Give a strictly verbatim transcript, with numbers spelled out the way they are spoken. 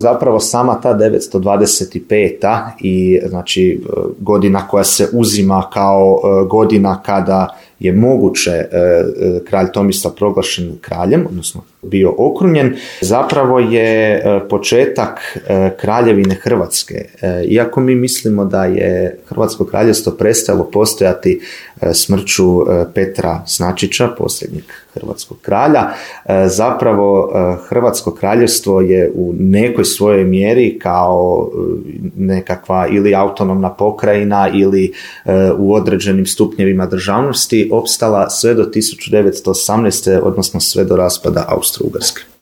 Zapravo sama ta devetsto dvadeset peta i znači godina koja se uzima kao godina kada je moguće kralj Tomislav proglašen kraljem, odnosno bio okrunjen, zapravo je početak kraljevine Hrvatske. Iako mi mislimo da je Hrvatsko kraljevstvo prestalo postojati smrću Petra Snačića, posljednjeg hrvatskog kralja, zapravo Hrvatsko kraljevstvo je u nekoj svojoj mjeri kao nekakva ili autonomna pokrajina ili u određenim stupnjevima državnosti opstala sve do tisuću devetsto osamnaeste. odnosno sve do raspada Austro-Ugarske.